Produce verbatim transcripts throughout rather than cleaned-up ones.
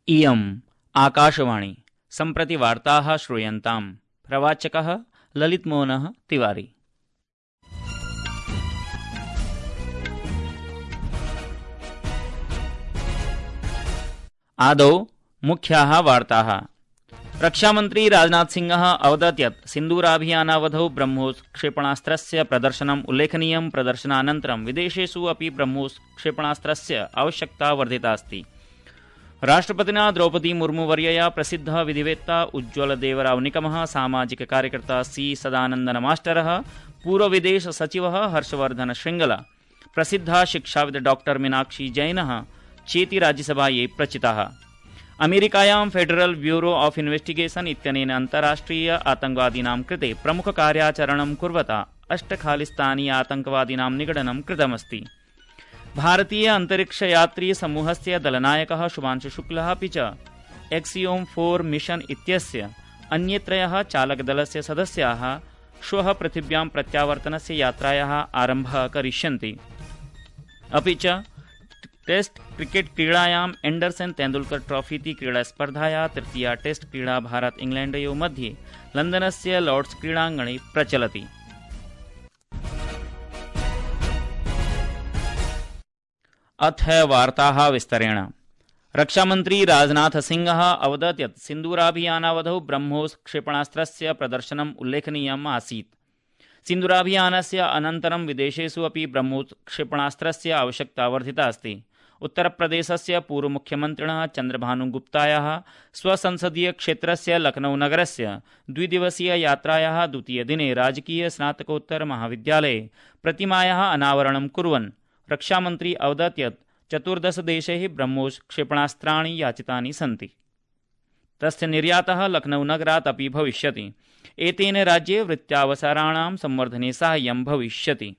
इयम् आकाशवाणी सम्प्रति वार्ताः श्रूयन्ताम्। प्रवाचकः ललितमोहनः तिवारी। आदौ मुख्याः वार्ताः। रक्षामन्त्री राजनाथ सिंहः अवदत् यत् सिन्दूराभियानावधौ ब्रह्मोस् क्षेपणास्त्रस्य प्रदर्शनम् उल्लेखनीयं। प्रदर्शनानन्तरं विदेशेषु अपि ब्रह्मोस् क्षेपणास्त्रस्य आवश्यकता वर्धिता अस्ति। राष्ट्रपतिना द्रौपदी मुर्मुवर्यया प्रसिद्धः विधिवेत्ता उज्ज्वलदेवराव निकमः, सामाजिक कार्यकर्ता सी सदानन्दन मास्टरः, पूर्वविदेश सचिवः हर्षवर्धन श्रृंगला, प्रसिद्धा शिक्षाविद डॉक्टर मीनाक्षी जैनः चेति राज्यसभायै प्रचिताः। अमेरिकायां फेडरल ब्यूरो ऑफ इन्वेस्टिगेशन इत्यनेन अन्ताराष्ट्रिय आतंकवादीनां कृते प्रमुखकार्याचरणं कुर्वता अष्ट खालिस्तानी आतंकवादीनां निगडनं कृतमस्ति। भारतीय अंतरिक्षयात्री समूहस्य दलनायकः शुभांशु शुक्लः अपि च एक्सियोम फोर मिशन इत्यस्य अन्ये त्रयः चालकदलस्य सदस्याः श्वः पृथिव्यां प्रत्यावर्तनस्य यात्रायाः आरम्भः करिष्यन्ति। अपि च टेस्ट क्रिकेट क्रीडायाम् एंडरसन तेंदुलकर ट्रॉफी इति क्रीडास्पर्धायाः तृतीया टेस्ट क्रीडा भारत इंग्लैण्डयोः मध्ये लण्डनस्य लॉर्ड्स क्रीडाङ्गणे प्रचलति। अथ वार्ताः विस्तरेण। रक्षामन्त्री राजनाथ सिंहः अवदत् यत् सिन्दूराभियानावधौ ब्रह्मोस् क्षेपणास्त्रस्य प्रदर्शनम् उल्लेखनीयम् आसीत्। सिन्दूराभियानस्य अनन्तरं विदेशेषु अपि ब्रह्मोस् क्षेपणास्त्रस्य आवश्यकता वर्धिता अस्ति। उत्तरप्रदेशस्य पूर्वमुख्यमन्त्रिणः चन्द्रभानुगुप्तायाः स्वसंसदीय क्षेत्रस्य लखनऊ नगरस्य द्विदिवसीय यात्रायाः द्वितीयदिने राजकीय स्नातकोत्तर महाविद्यालये प्रतिमायाः अनावरणं कुर्वन् रक्षामन्त्री अवदत् यत् चतुर्दश देशैः ब्रह्मोस् क्षेपणास्त्राणि याचितानि सन्ति। तस्य निर्यातः लखनऊ नगरात् अपि भविष्यति। एतेन राज्ये वृत्त्यावसराणां संवर्धने साहाय्यं भविष्यति।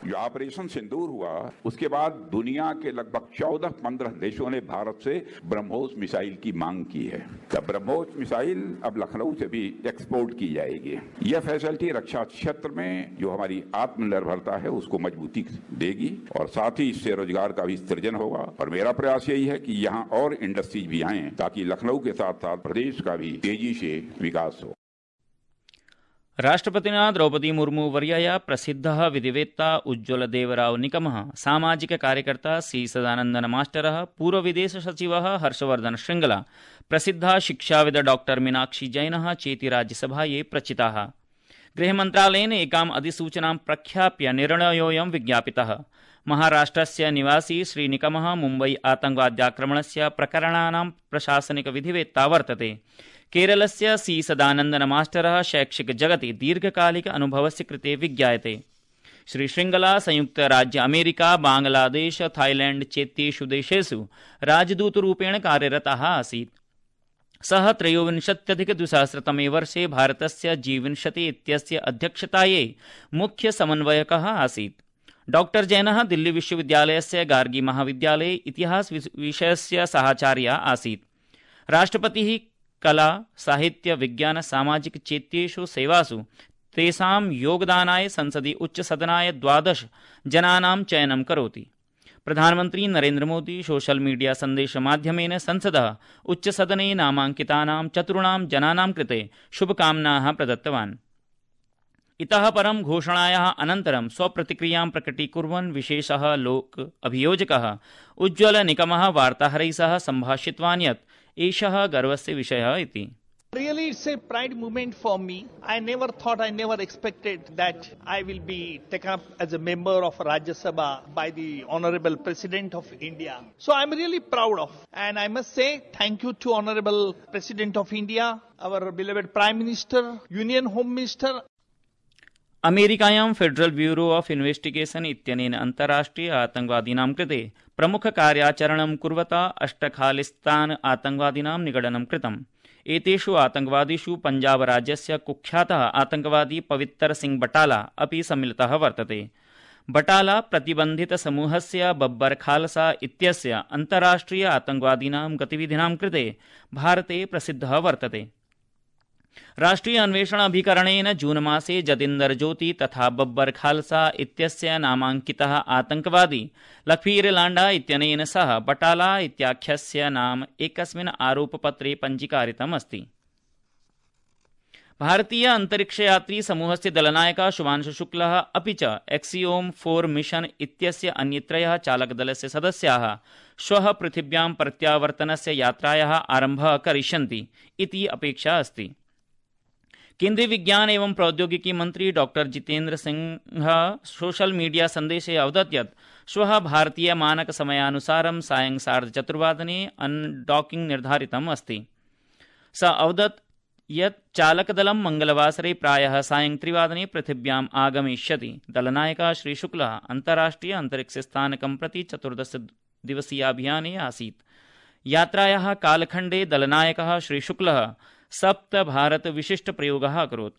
जो ऑपरेशन सिंदूर हुआ उसके बाद दुनिया के लगभग चौदह पंद्रह देशों ने भारत से ब्रह्मोस मिसाइल की मांग की है। तब ब्रह्मोस मिसाइल अब लखनऊ से भी एक्सपोर्ट की जाएगी। यह फैसिलिटी रक्षा क्षेत्र में जो हमारी आत्मनिर्भरता है उसको मजबूती देगी और साथ ही इससे रोजगार का भी सृजन होगा। और मेरा प्रयास यही है कि यहाँ और इंडस्ट्रीज भी आए ताकि लखनऊ के साथ साथ प्रदेश का भी तेजी से विकास हो। राष्ट्रपतिना द्रौपदी मुर्मू वर्यया प्रसिद्धः विधिवेत्ता उज्ज्वलदेवराव निकमः, सामाजिक कार्यकर्ता सी सदानन्दन मास्टरः, पूर्वविदेश सचिवः हर्षवर्धन श्रृंगला, प्रसिद्धा शिक्षाविद डॉक्टर मीनाक्षी जैनः चेति राज्यसभायै प्रचिताः। गृहमन्त्रालयेन एकाम् अधिसूचनां प्रख्याप्य निर्णयोऽयं विज्ञापितः। महाराष्ट्रस्य निवासी श्रीनिकमः मुम्बई आतंकवाद्याक्रमणस्य प्रकरणानां प्रशासनिक विधिवेत्ता वर्तते। केरलस्य सी सदानन्दन मास्टरः शैक्षिक जगति दीर्घकालिक अनुभवस्य कृते विज्ञायते। श्री श्रृंगला संयुक्त राज्य अमेरिका, बांग्लादेश, थाईलैंड चेत्येषु देशेषु राजदूतरूपेण कार्यरतः आसीत्। सः त्रयोविंशत्यधिकद्विसहस्रतमे वर्षे भारतस्य जी विंशति इत्यस्य अध्यक्षतायै मुख्य समन्वयकः आसीत्। डॉक्टर जैनः दिल्ली विश्वविद्यालयस्य गार्गी महाविद्यालये इतिहास विषयस्य सहाचार्यः आसीत्। राष्ट्रपतिः कला, साहित्य, विज्ञान, सामाजिक चेत्येषु सेवासु तेषां योगदानाय संसदि उच्चसदनाय द्वादश जनानां चयनं करोति। प्रधानमन्त्री नरेन्द्र मोदी सोशल मीडिया सन्देशमाध्यमेन संसदः उच्चसदने नामाङ्कितानां चतुर्णां जनानां कृते शुभकामनाः प्रदत्तवान्। इतः परं घोषणायाः अनन्तरं स्वप्रतिक्रियां प्रकटीकुर्वन् विशेषः लोक अभियोजकः उज्ज्वल निकमः वार्ताहरैः सह सम्भाषितवान् यत् एषः गर्वस्य विषयः इति। Really, it's a pride moment for me. I never thought, I never expected that I will be taken up as a member of Rajya Sabha by the Honorable President of India. So I'm really proud of, and I must say thank you to Honorable President of India, our beloved Prime Minister, Union Home Minister. अमेरिकायां Federal Bureau of Investigation इत्यनेन अन्ताराष्ट्रिय आतंकवादीनां कृते प्रमुखकार्याचरणं कुर्वता अष्ट खालिस्तान आतंकवादीनां निगडनं कृतम्। एतेषु आतंकवादिषु पंजाब राज्यस्य कुख्यातः आतंकवादी पवित्र सिंह बटाला अपि सम्मिलितः वर्तते। बटाला प्रतिबन्धित समूहस्य बब्बर खालसा इत्यस्य अन्ताराष्ट्रिय आतंकवादीनां गतिविधीनां कृते भारते प्रसिद्धः वर्तते। राष्ट्रीय अन्वेषण अभिकरणेन जून मासे जतिन्दर ज्योति तथा बब्बर खालसा इत्यस्य नामाङ्कितः आतङ्कवादी लखवीर लाण्डा इत्यनेन सह बटाला इत्याख्यस्य नाम एकस्मिन् आरोपपत्रे पञ्जीकारितम् अस्ति। भारतीय अन्तरिक्षयात्री समूहस्य दलनायकः शुभांशु शुक्लः अपि च एक्सियोम फोर मिशन इत्यस्य अन्ये त्रयः चालकदलस्य सदस्याः श्वः पृथिव्यां प्रत्यावर्तनस्य यात्रायाः आरम्भः करिष्यन्ति इति अपेक्षा अस्ति। केन्द्रीय विज्ञान एवं प्रौद्योगिकी मंत्री doctor Jitendra Singh social media संदेशे अवदत् यत् श्वः भारतीय मानक समयानुसारं सायं सार्धचतुर्वादने अनडॉकिंग निर्धारितम् अस्ति। स अवदत् यत् चालकदलं मंगलवासरे प्रायः सायं त्रिवादने पृथिव्याम् आगमिष्यति। दलनायकः श्रीशुक्लः अन्ताराष्ट्रिय अन्तरिक्षस्थानकं प्रति चतुर्दश दिवसीयाभियाने आसीत्। यात्रायाः कालखण्डे दलनायकः श्रीशुक्लः सप्त भारत विशिष्ट प्रयोगः अकरोत्।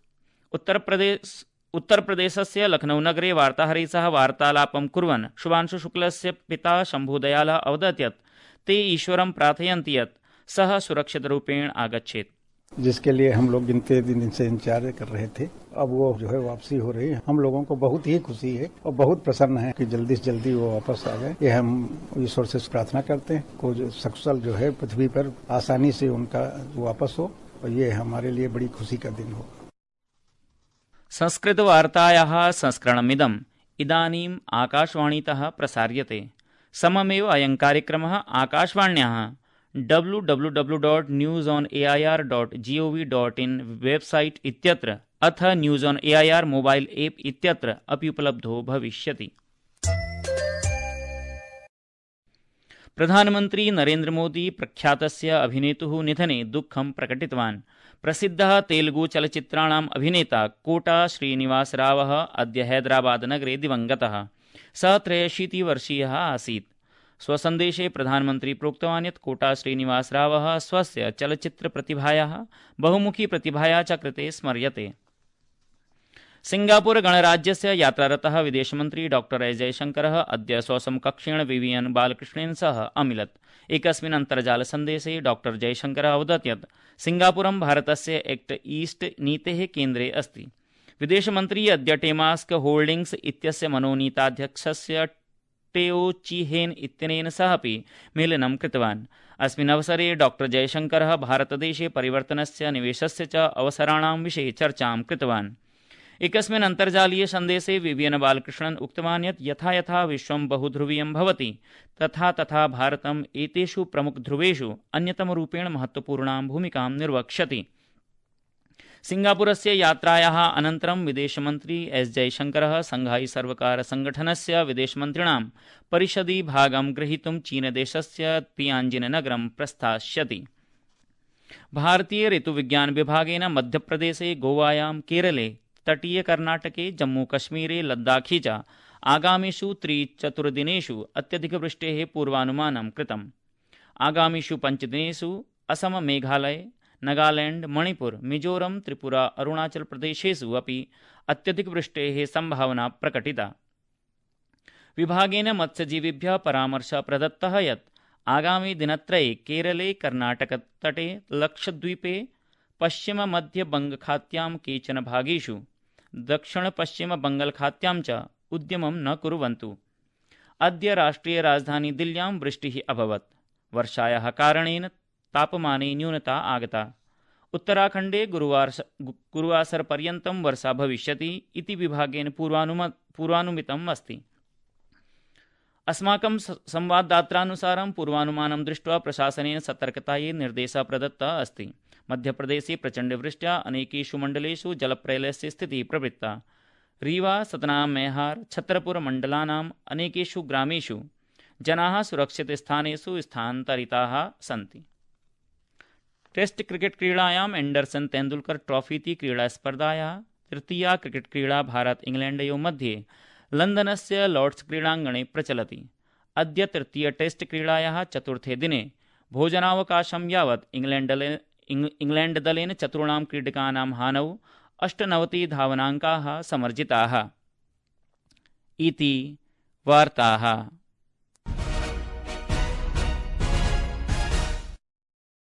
उत्तरप्रदेश उत्तरप्रदेशस्य लखनऊ नगरे वार्ताहरैः सह वार्तालापं कुर्वन् शुभांशु शुक्लस्य पिता शम्भुदयालः अवदत् यत् ते ईश्वरं प्रार्थयन्ति यत् सः सुरक्षितरूपेण आगच्छेत्। जिसके लिए हम लोग गिनते दिन से इंतजार कर रहे थे, अब वो जो है वापसी हो रही है। हम लोगों को बहुत ही खुशी है और बहुत प्रसन्न है कि जल्दी से जल्दी वो वापस आ जाए। ये हम ईश्वर से प्रार्थना करते हैं को जो सकुशल जो है पृथ्वी पर आसानी से उनका वापस हो और ये हमारे लिए बड़ी खुशी का दिन हो। संस्कृतवार्तायाः संस्करणमिदम् इदानीम् आकाशवाणीतः प्रसार्यते। सममेव अयं कार्यक्रमः आकाशवाण्याः W W W dot news on A I R dot G O V dot in website इत्यत्र अथ news on A I R mobile app इत्यत्र अपि उपलब्धो भविष्यति। प्रधानमन्त्री नरेन्द्र मोदी प्रख्यातस्य अभिनेतुः निधने दुःखं प्रकटितवान्। प्रसिद्धः तेलुगु चलच्चित्राणाम् अभिनेता कोटा श्रीनिवासरावः अद्य हैदराबादनगरे दिवङ्गतः। सः त्रयाशीतिवर्षीयः आसीत्। स्वसन्देशे प्रधानमन्त्री प्रोक्तवान् यत् कोटा श्रीनिवासरावः स्वस्य चलच्चित्रप्रतिभायाः बहुमुखी प्रतिभाया च कृते स्मर्यते। सिंगापुर गणराज्यस्य यात्रारतः विदेशमन्त्री डॉक्टर एस जयशंकरः अद्य स्वसमकक्षेण विवियन बालकृष्णेन सह अमिलत्। एकस्मिन् अन्तर्जालसन्देशे डॉक्टर जयशंकरः अवदत् यत् सिंगापुरं भारतस्य एक्ट ईस्ट नीतेः केन्द्रे अस्ति। विदेशमन्त्री अद्य टेमास्क होल्डिंग्स इत्यस्य मनोनीताध्यक्षस्य टेओ चीहेन इत्यनेन सह अपि मेलनं कृतवान्। अस्मिन् अवसरे डॉक्टर जयशंकरः भारतदेशे परिवर्तनस्य निवेशस्य च अवसराणां विषये चर्चां कृतवान्। एकस्मिन् अन्तर्जालीय सन्देशे विवियन बालकृष्णन् उक्तवान् यत् यथा यथा विश्वं बहुध्रुवीयं भवति तथा तथा भारतम् एतेषु प्रमुखध्रुवेषु अन्यतमरूपेण महत्वपूर्णां भूमिकां निर्वक्ष्यति। सिंगापुरस्य यात्रायाः अनन्तरं विदेशमन्त्री एस जयशंकरः शंघाई सर्वकार संगठनस्य विदेशमन्त्रिणां परिषदि भागं ग्रहीतुं चीनदेशस्य तियाञ्जिन नगरं प्रस्थास्यति। भारतीय ऋतुविज्ञान विभागेन मध्यप्रदेशे, गोवायां, केरले, तटीय कर्नाटके, जम्मूकश्मीरे, लद्दाखी च आगामिषु त्रिचतुर्दिनेषु अत्यधिकवृष्टेः पूर्वानुमानं कृतम्। आगामिषु पञ्चदिनेषु असम, मेघालय, नागालैंड, मणिपुर, मिजोरम, त्रिपुरा, अरुणाचल प्रदेशेषु अपि अत्यधिकवृष्टेः सम्भावना प्रकटिता। विभागेन मत्स्यजीविभ्यः परामर्शः प्रदत्तः यत् आगामि दिनत्रये केरले, कर्नाटकतटे, लक्षद्वीपे, पश्चिममध्यबङ्गखात्यां केचन भागेषु, दक्षिणपश्चिमबङ्गालखात्यां च उद्यमं न कुर्वन्तु। अद्य राष्ट्रिय राजधानी दिल्ल्यां वृष्टिः अभवत्। वर्षायाः कारणेन तापमाने न्यूनता आगता। उत्तराखण्डे गुरुवार गुरुवासरपर्यन्तं वर्षा भविष्यति इति विभागेन पूर्वानुम पूर्वानुमितम् अस्ति। अस्माकं संवाददात्रानुसारं पूर्वानुमानं दृष्ट्वा प्रशासनेन सतर्कतायै निर्देशः प्रदत्तः अस्ति। मध्यप्रदेशे प्रचण्डवृष्ट्या अनेकेषु मण्डलेषु जलप्रलयस्य स्थितिः प्रवृत्ता। रीवा, सतना, मेहार, छतरपुर मण्डलानाम् अनेकेषु ग्रामेषु जनाः सुरक्षितस्थानेषु स्थानान्तरिताः सन्ति। टेस्ट क्रिकेट क्रीडायाम् एंडरसन तेंदुलकर ट्रॉफी इति क्रीडास्पर्धायाः तृतीया क्रिकेट क्रीडा भारत इंग्लैण्डयोः मध्ये लन्दनस्य लॉर्ड्स क्रीडाङ्गणे प्रचलति। अद्य तृतीय टेस्ट क्रीडायाः चतुर्थे दिने भोजनावकाशं यावत् इंग्लैण्डदलेन इंग्लैण्डदलेन चतुर्णां क्रीडकानां हानौ अष्टनवति धावनाङ्काः समर्जिताः। इति वार्ताः।